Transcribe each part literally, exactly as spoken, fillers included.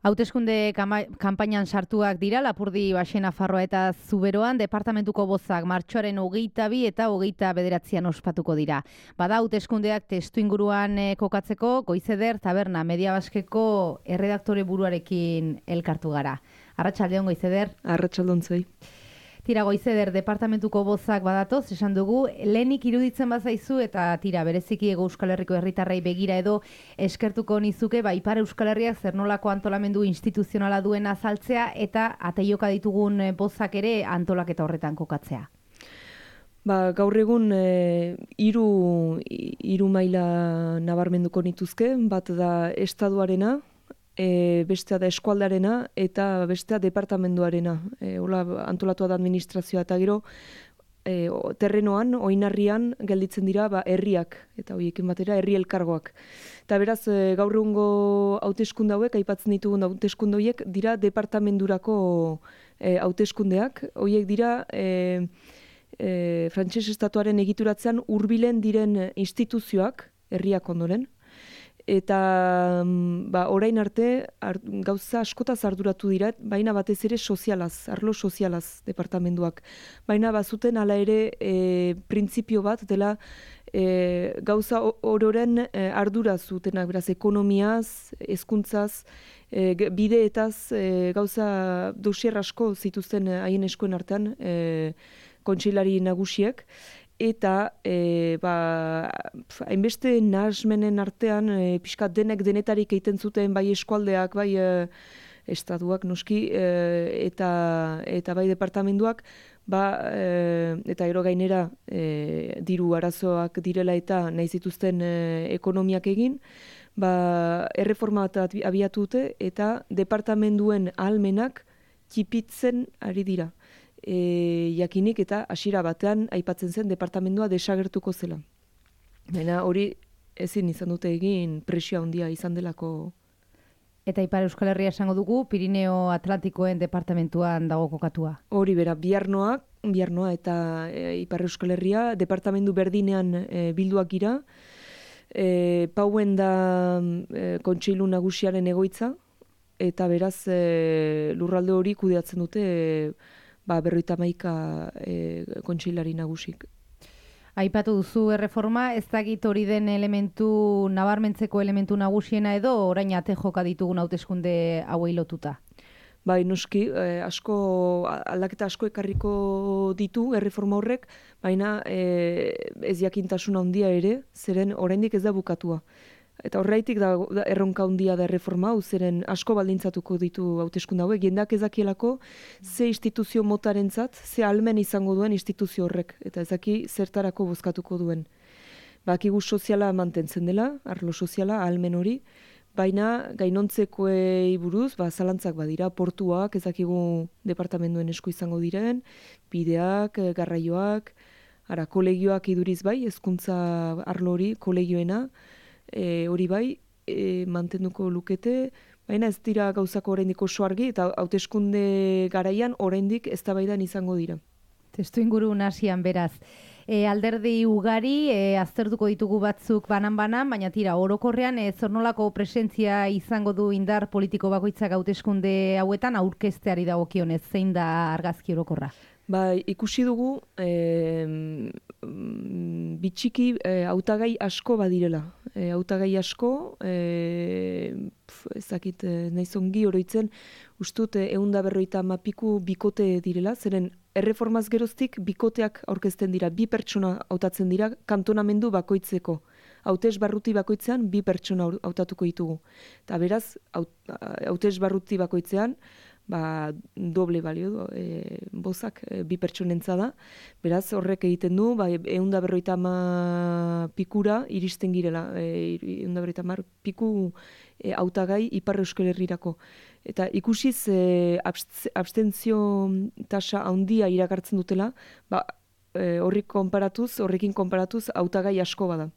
Hauteskunde kanpainan sartuak dira Lapurdi, Baxe, Nafarroa eta Zuberoan departamentuko bozak martxoaren hogeita bi eta hogeita bederatzian ospatuko dira. Bada hauteskundeak testu inguruan eh, kokatzeko Goizeder Taberna Media Baskeko erredaktore buruarekin elkartu gara. Arratsaldeon Goizeder. Arratsaldeon zuei. Tira Goizeder, departamentuko bozak badatoz, esan dugu, lehenik iruditzen bazaizu eta tira bereziki Hego Euskal Herriko herritarrei begira edo eskertuko nizuke, ba, Ipar Euskal Herriak zer nolako antolamendu instituzionala duen azaltzea eta ateioka ditugun bozak ere antolaketa horretan kokatzea. Ba, gaur egun e, hiru hiru maila nabarmenduko nituzke, bat da estaduarena, E, bestea da eskualdarena eta bestea departamenduarena. E, hola antolatua da administrazioa eta gero e, o, terrenoan, oinarrian gelditzen dira ba, herriak eta horiekin batera herri elkargoak. Eta beraz e, gaur egungo hauteskunde hauek, aipatzen ditugun hauteskunde horiek dira departamendurako e, hauteskundeak. Horiek dira e, e, frantses estatuaren egituratzean hurbilen diren instituzioak herriak ondoren. Eta ba, orain arte ar, gauza askotaz arduratu dira, baina batez ere sozialaz, arlo sozialaz departamenduak. Baina bazuten hala ere e, printzipio bat dela e, gauza ororen e, ardura zutenak, beraz ekonomiaz, hezkuntzaz, e, bideetaz e, gauza dosier asko zituzten haien eskuen artean e, kontseilari nagusiek. Eta e, ba, hainbeste nahasmenen artean e, pixkat denek denetarik egiten zuten bai eskualdeak, bai e, estatuak noski e, eta, eta bai departamenduak, ba, e, eta ero gainera e, diru arazoak direla eta nahi zituzten e, ekonomiak egin, ba, erreforma bat abiatu dute eta departamenduen ahalmenak txipitzen ari dira. E, jakinik eta hasiera batean aipatzen zen departamendua desagertuko zela. Baina hori ezin izan dute egin presio handia izan delako. Eta Ipar Euskal Herria esango dugu, Pirineo Atlantikoen departamentuan dago kokatua. Hori bera, Biarnoak, Biarnoa eta e, Ipar Euskal Herria departamendu berdinean e, bilduak gira. E, Pauen da e, kontseilu nagusiaren egoitza, eta beraz e, lurralde hori kudeatzen dute e, ba, berroita hamaika e, kontseilari nagusik. Aipatu duzu erreforma, ez dakit hori den elementu, nabarmentzeko elementu nagusiena edo orain ate joka ditugun hauteskunde hauei lotuta? Bai, noski, eh, asko, aldaketa asko ekarriko ditu erreforma horrek, baina eh, ez jakintasun handia ere, zeren oraindik ez da bukatua. Eta horreitik da, da erronka handia da erreforma hau, zeren asko baldintzatuko ditu hauteskunde hauek, jendak ezakielako ze instituzio motarentzat, ze ahalmen izango duen instituzio horrek, eta ezaki zertarako bozkatuko duen. Bakigu soziala mantentzen dela, arlo soziala, ahalmen hori, baina gainontzekoei buruz, ba, zalantzak badira, portuak, ezakigu departamenduen esku izango diren, bideak, garraioak, ara, kolegioak iduriz bai, hezkuntza arlo hori, kolegioena, E, hori bai, e, mantenduko lukete, baina ez dira gauzako oraindik oso argi, eta hauteskunde garaian oraindik eztabaidan izango dira. Testu inguru nasian beraz. E, alderdi ugari, e, aztertuko ditugu batzuk banan-banan, baina tira, orokorrean e, zornolako presentzia izango du indar politiko bakoitzak hauteskunde hauetan aurkezteari dagokionez, zein da argazki orokorra? Ba, ikusi dugu, e, bitxiki e, hautagai asko badirela. E, hautagai asko, e, ezakit naiz ongi oroitzen, ustut ehun berrogeita hamar piku bikote direla, zeren erreformaz geroztik bikoteak aurkezten dira, bi pertsona hautatzen dira kantonamendu bakoitzeko. Hautes barruti bakoitzean bi pertsona hautatuko ditugu. Eta beraz, hautes barruti bakoitzean, ba, doble balio, e, bozak e, bi pertsonentza da. Beraz, horrek egiten du, ba, ehun berrogeita hamar pikura iristen girela, ehun berrogeita hamar piku e, hautagai Ipar Euskal Herrirako. Eta ikusiz e, abstentzio tasa handia iragartzen dutela, ba, e, horrik konparatuz, horrekin konparatuz hautagai asko bada.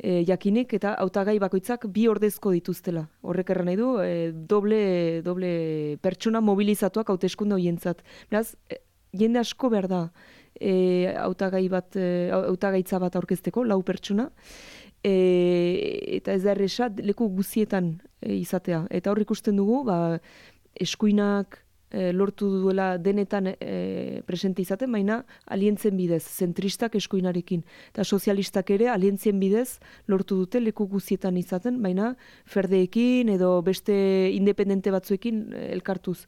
E, jakinik eta hautagai bakoitzak bi ordezko dituztela. Horrek erran nahi du, e, doble, doble pertsona mobilizatuak hauteskunde horientzat. Beraz, e, jende asko behar da e, hautagai bat, e, hautagaitza bat aurkezteko, lau pertsona. e, eta ez da erresa leku guztietan e, izatea. Eta hor ikusten dugu, ba, eskuinak e, lortu duela denetan e, presente izaten, baina alientzen bidez, zentristak eskuinarekin. Eta sozialistak ere alientzien bidez lortu dute leku guztietan izaten, baina ferdeekin edo beste independente batzuekin e, elkartuz.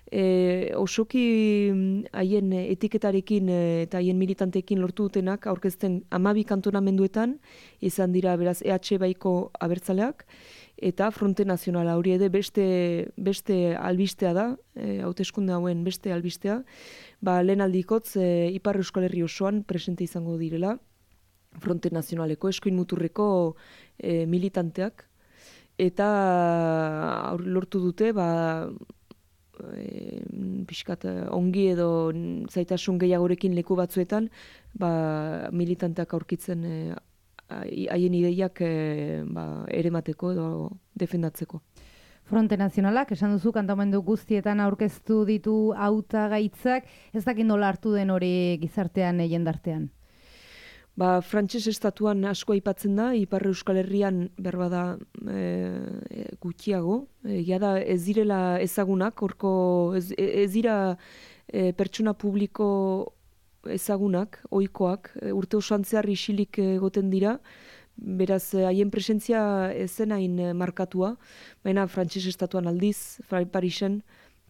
E, osoki haien etiketarekin e, eta haien militanteekin lortu dutenak aurkezten hamabi kantonamenduetan, izan dira beraz E H Baiko abertzaleak, eta Fronte Nazionala hori ere beste, beste albistea da, e, hauteskunde hauen beste albistea, ba, lehen aldikotz e, Ipar Euskal Herri osoan presente izango direla, Fronte Nazionaleko, eskuin muturreko e, militanteak, eta aur, lortu dute, ba, e, pixkat ongi edo zaitasun gehiagorekin leku batzuetan, ba, militanteak aurkitzen e, haien ideiak e, ba, eremateko edo defendatzeko. Fronte Nazionalak, esan duzu, kantamendu guztietan aurkeztu ditu hautagaitzak, ez dakit nola hartu den hori gizartean e, jendartean? Ba, frantses estatuan asko aipatzen da, Ipar Euskal Herrian berbada e, gutxiago. E, da ez direla ezagunak, horko ez, ez dira e, pertsona publiko ezagunak, ohikoak, urte osoan zehar isilik egoten dira, beraz haien presentzia ezen hain markatua, baina frantses estatuan aldiz, Parisen,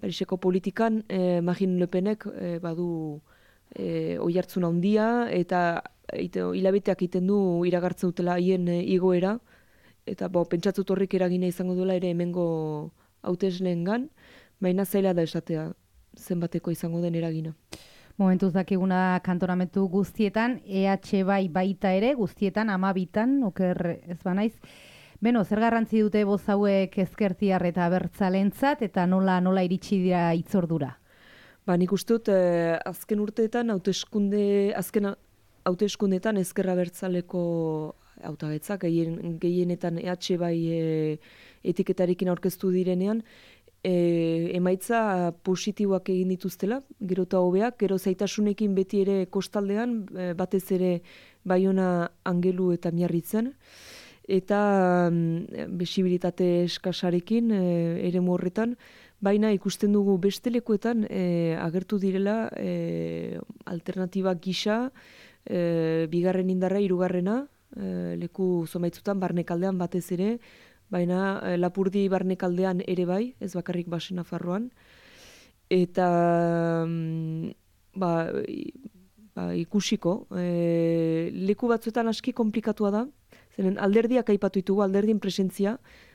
Pariseko politikan, eh, Marine Le Penek eh, badu eh, oihartzun handia, eta ite, hilabeteak egiten du iragartzen dutela haien eh, igoera, eta bo, pentsatzut horrek eragina izango duela ere hemengo hautesleengan, baina zaila da esatea zenbateko izango den eragina. Momentuz dakiguna kantonamentu guztietan, E H bai baita ere, guztietan, hamabitan, oker ez banaiz. Beno, zer garrantzi dute boz hauek ezkertiar eta abertzalentzat, eta nola nola iritsi dira itzordura? Ba, nik uste dut, eh, azken urteetan, hauteskunde, azken hauteskundetan ezkerra abertzaleko hautagatzak, gehien, gehienetan E H bai e, etiketarekin aurkeztu direnean, E, emaitza positiboak egin dituztela, gero eta hobeak, gero zaitasunekin beti ere kostaldean, e, batez ere Baiona, Angelu eta Miarritzen, eta mm, besibilitate eskasarekin e, ere horretan, baina ikusten dugu beste lekuetan e, agertu direla e, alternatiba gisa, e, bigarren indarra, hirugarrena, e, leku zomaitzutan, barnekaldean batez ere, baina e, Lapurdi barnekaldean ere bai, ez bakarrik Baxe Nafarroan. Eta mm, ba, ba, ikusiko, e, leku batzuetan aski komplikatua da, zeren alderdiak aipatu ditugu, alderdien presentzia,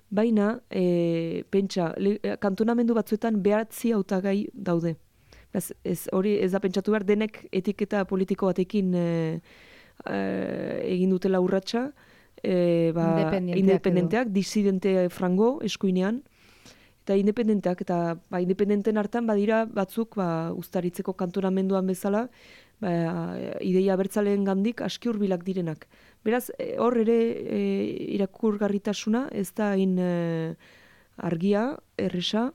baina e, pentsa, le, kantonamendu batzuetan behatzi hautagai daude. Ez, ez, hori ez da pentsatu behar, denek etiketa politiko batekin e, e, egin dutela urratsa, E, ba, independenteak, independenteak disidente frango eskuinean, eta independenteak, eta ba, independenten hartan badira batzuk ba, ustaritzeko kantonamenduan bezala, ba, ideia abertzaleen gandik aski hurbilak direnak. Beraz, hor ere e, irakurgarritasuna ez da hain e, argia, erresa,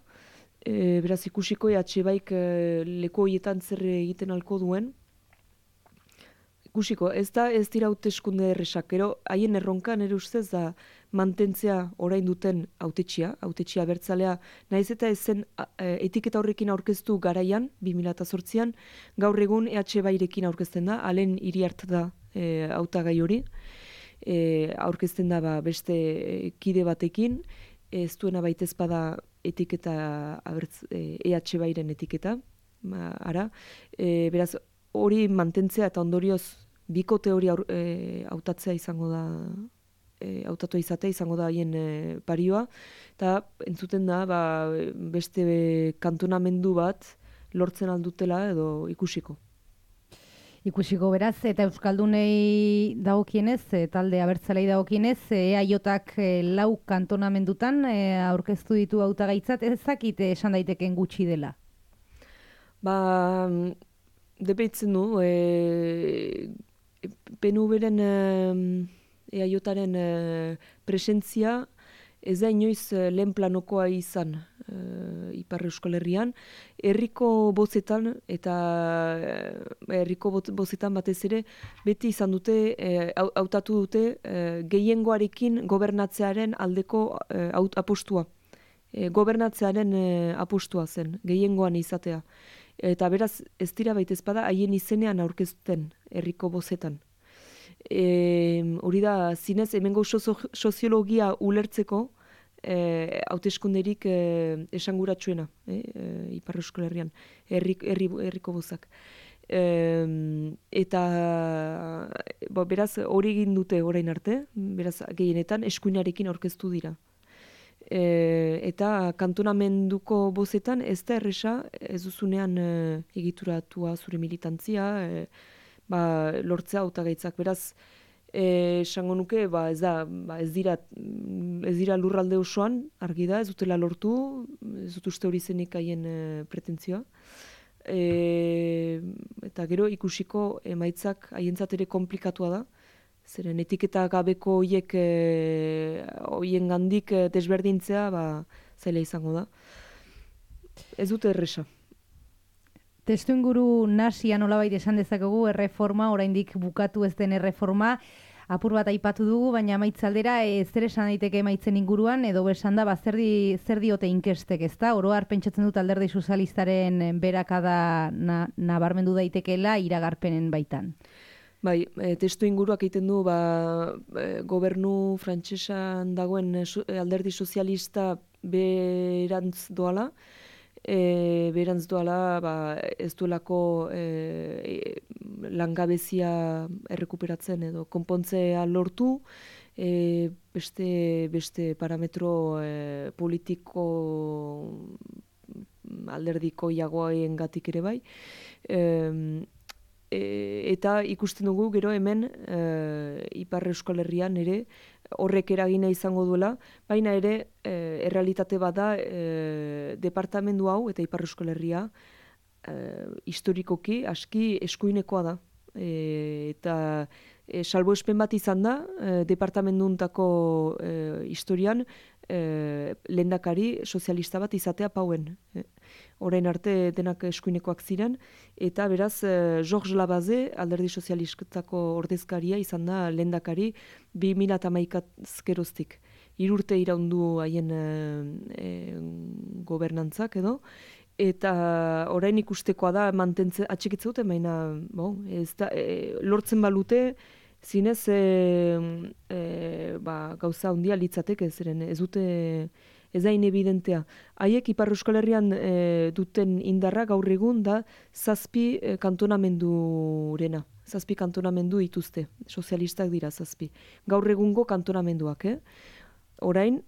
e, beraz ikusiko E H baik e, leku horietan zer egiten alko duen, ikusiko, ez da ez dira hauteskunde erresak, gero haien erronka nire ustez da mantentzea orain duten hautetxia, hautetxia abertzalea, naiz eta ezen etiketa horrekin aurkeztu garaian, bi mila zortzian, gaur egun E H bairekin aurkezten da, alen Iriart da e, hautagai hori, e, aurkezten da ba, beste kide batekin, ez duena baitez bada etiketa abertz, e, E H bairen etiketa, ba, ara, e, beraz, hori mantentzea eta ondorioz bikote hori hautatzea e, izango da, e, hautatu izatea izango da haien e, parioa, eta entzuten da ba, beste kantonamendu bat lortzen aldutela edo ikusiko. Ikusiko beraz, eta Euskaldunei dagokienez, e, talde abertzalei dagokienez, E A J-ak e, lau kantonamendutan e, aurkeztu ditu hautagaitzat, ez dakit esan daiteken gutxi dela? Ba, depeitzen du, e, P N V-ren E A J-aren e, presentzia ez da inoiz lehen planokoa izan. E, Ipar Euskal Herrian, herriko bozetan eta herriko bozetan batez ere beti izan dute, e, hautatu dute e, gehiengoarekin gobernatzearen aldeko e, apostua. E, gobernatzearen e, apostua zen, gehiengoan izatea. Eta beraz, ez dira baitez bada, haien izenean aurkezten herriko bozetan. E, hori da, zinez, hemengo soziologia ulertzeko e, hauteskunderik e, esanguratsuena, e, e, Ipar Euskal Herrian, herrik, herri, herriko bozak. E, eta bo, beraz, hori egin dute orain arte, beraz, gehienetan eskuinarekin aurkeztu dira. E, eta kantonamenduko bozetan ez da erresa, ez duzunean e, egituratua zure militantzia, e, ba, lortzea hautagaitzak. Beraz, esango nuke, ba, ez da, ba, ez dira, ez dira lurralde osoan, argi da, ez dutela lortu, ez dut uste hori zenik haien e, pretentzioa. E, eta gero ikusiko emaitzak haientzat ere komplikatua da, zeren etiketa gabeko hoiek e, hoien gandik e, desberdintzea, ba, zaila izango da. Ez dute erresa. Testu inguru nasia nolabait esan dezakegu erreforma, oraindik bukatu ez den erreforma, apur bat aipatu dugu, baina amaitzaldera e, zer esan daiteke emaitzen inguruan, edo besan da, ba, zer, di, zer diote inkestek, ez da? Oro har pentsatzen dut Alderdi Sozialistaren berakada na, nabarmendu daitekeela iragarpenen baitan. Bai, e, testu inguruak egiten du, ba, e, gobernu frantsesan dagoen e, Alderdi Sozialista berantz doala, E, berantz doala, ba, ez duelako e, langabezia errekuperatzen edo konpontzea lortu, e, beste, beste parametro e, politiko alderdiko jagoaien gatik ere bai. E, e, eta ikusten dugu gero hemen e, Ipar Euskal Herrian ere horrek eragina izango duela, baina ere e, errealitate bada e, departamendu hau eta Ipar Euskal Herria e, historikoki aski eskuinekoa da. E, eta e, salbuespen bat izan da e, departamenduntako e, historian e, lehendakari sozialista bat izatea Pauen. E, orain arte denak eskuinekoak ziren, eta beraz e, Georges Labaze, Alderdi Sozialistako ordezkaria izan da lehendakari bi mila hamaikaz geroztik. Hirurte iraundu haien e, e, gobernantzak edo, eta orain ikustekoa da mantentze atxikitze dute, baina bon, ez da, e, lortzen balute zinez e, e, ba, gauza handia litzateke, zeren ez dute ez da inevidentea. Haiek Ipar Euskal Herrian e, duten indarra gaur egun da zazpi e, kantonamendurena. Zazpi kantonamendu dituzte, sozialistak dira zazpi. Gaur egungo kantonamenduak, eh? Orain,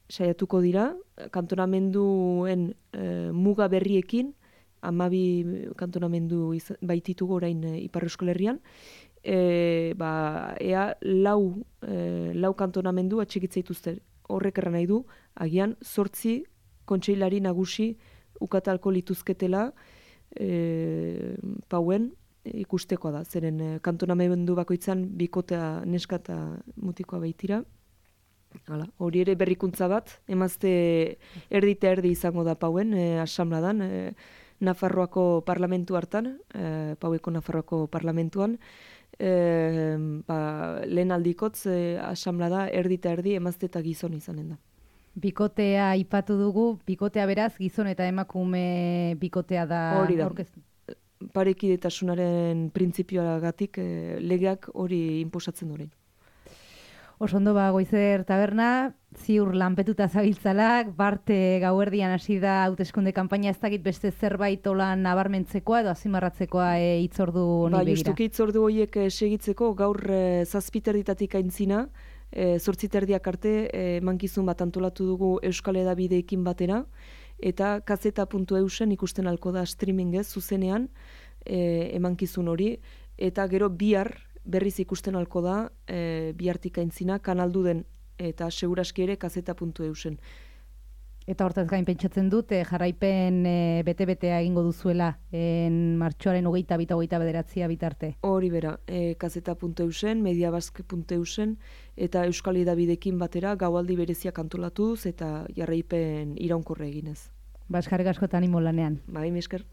saiatuko dira, kantonamenduen e, muga berriekin, hamabi kantonamendu baititugu orain e, Ipar Euskal Herrian, e, ba, ea lau, e, lau kantonamendu atxikitze dituzte. Horrek erran nahi du, agian zortzi kontseilari nagusi ukatalko lituzketela e, Pauen ikustekoa da. Zeren e, kantonamendu bakoitzan bikotea neska eta mutikoa baitira. Hala, hori ere berrikuntza bat, emazte erdi eta erdi izango da Pauen, e, asamladan, e, Nafarroako parlamentu hartan, e, Paueko Nafarroako parlamentuan, e, ba, lehen aldikotz e, asamlada erdi eta erdi emazte eta gizon izanen da. Bikotea aipatu dugu, bikotea beraz, gizon eta emakume bikotea da. Hori da. Orkestu. Parekidetasunaren printzipioagatik e, legeak hori inposatzen orain. Osondo ba, Goizer taberna, ziur lanpetuta zabiltzalak, barte gauerdian hasi da hauteskunde kanpaina, ez dakit beste zerbait olan nabarmentzekoa edo azimarratzekoa e, itzordu honi ba, begira. Justuki itzordu horiek e, segitzeko gaur e, zazpiterditatik aintzina, e, zortziterdiak arte e, mankizun bat antolatu dugu Euskal Hedabideekin batera, eta kazeta puntu eusen ikusten alko da streamingez, zuzenean e, emankizun hori, eta gero bihar, berriz ikusten alko da, e, bihartik aintzina, kanaldu den, eta seguraski ere kazeta puntu eusen. Eta hortaz gain pentsatzen dut, e, jarraipen e, bete-betea egingo duzuela, en martxoaren hogeita bita hogeita bederatzia bitarte. Hori bera, e, kazeta puntu eusen, mediabask puntu eusen, eta Euskal Hedabideekin batera, gaualdi bereziak antolatuz, eta jarraipen iraunkorre eginez. Ba, eskerrik asko eta animo lanean. Bai, mi esker.